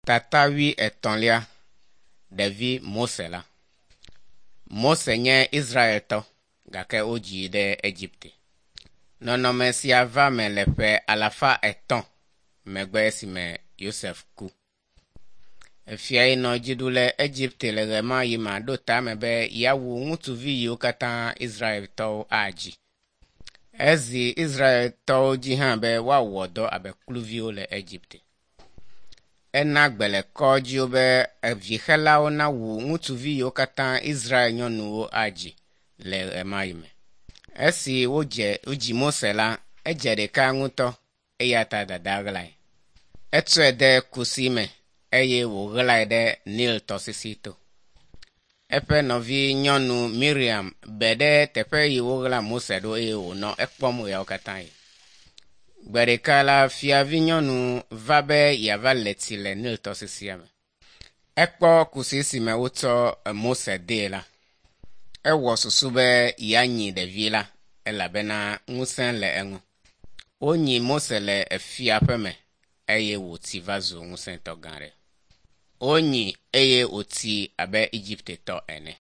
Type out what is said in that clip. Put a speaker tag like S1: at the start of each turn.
S1: Tata wuietɔ̃lia, Ɖevi Mose la. Mose nye Israeltɔ gake wodzii ɖe Egipte. Nɔnɔme sia va me le ƒe alafa etɔ̃ megbe esime Yosef ku. Efia yi nɔ dzi ɖu le Egipte le ɣemaɣi ma ɖo tame be yeawu ŋutsuvi yiwo katã Israeltɔwo adzi. Ezi Israeltɔwo dzi hã be woawɔ dɔ abe kluviwo le Egipte. Ena gbe le kɔdziwo be evixelawo nawu ŋutsuvi yiwo katã Israel nyɔnuwo adzi le ɣemaɣi me. Esi wodze wodzi Mose la, edze ɖeka ŋutɔ eya ta dada ɣlae. Etsɔe de kusi me eye wòɣlae ɖe Nil tɔsisi to. Eƒe nɔvi nyɔnu Miriam be ɖe teƒe yi woɣla Mose ɖo eye wònɔ ekpɔm ɣeawo katã yi. Gbe ɖeka la, fiavi nyɔnu va be yeava le tsi le Nil tɔsisia me. Ekpɔ kusi si me wotsɔ Mose dee la. Ewɔ susu be yeanyi ɖevi la elabena ŋusẽ le eŋu. Wonyi Mose le efia ƒe me eye wòtsi va zu ŋusẽtɔ gã aɖe. Wonyi eye wòtsi abe Egiptetɔ ene.